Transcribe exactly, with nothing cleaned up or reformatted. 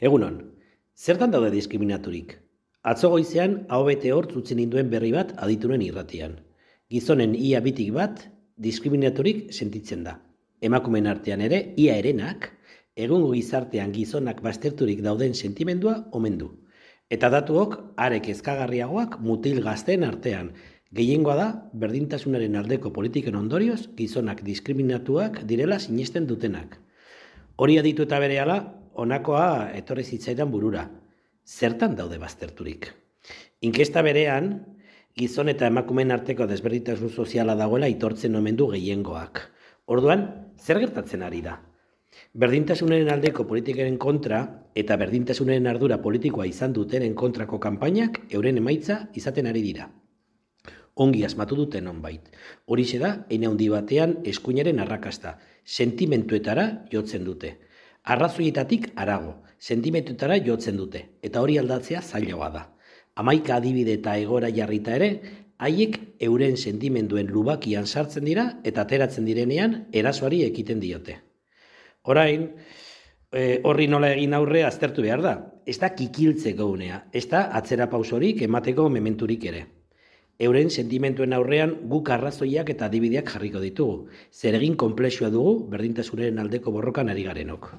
Egunon, zertan daude diskriminaturik? Atzo goizean aho bete hortz utzi ninduen berri bat aditunen irratian. Gizonen ia bitik bat diskriminaturik sentitzen da. Emakumeen artean ere ia herenak, egungo gizartean gizonak bazterturik dauden sentimendua omen du. Eta datuok are kezkagarriagoak mutil gazteen artean. Gehiengoa da berdintasunaren aldeko politiken ondorioz gizonak diskriminatuak direla sinesten dutenak. Hori aditu eta berehala, honakoa etorri zitzaidan burura. Zertan daude bazterturik? Inkesta berean, gizon eta emakumeen arteko desberdintasun soziala dagoela aitortzen omen du gehiengoak. Orduan, zer gertatzen ari da? Berdintasunaren aldeko politikaren kontra eta berdintasunaren ardura politikoa izan dutenen kontrako kanpainak euren emaitza izaten ari dira. Ongi asmatu duten nonbait. Horixe da, eine handi batean eskuinaren arrakasta, sentimentuetara jotzen dute. Arrazoietatik harago, sentimentuetara jotzen dute, eta hori aldatzea zailagoa da. Hamaika adibide eta egora jarrita ere, haiek euren sentimenduen lubakian sartzen dira eta ateratzen direnean erasoari ekiten diote. Orain, e, horri nola egin aurre aztertu behar da. Ez da kikiltzeko unea, ez da atzera pausorik emateko mementurik ere. Euren sentimentuen aurrean guk arrazoiak eta adibideak jarriko ditugu. Zer egin konplexua dugu berdintasunaren aldeko borrokan ari garenok.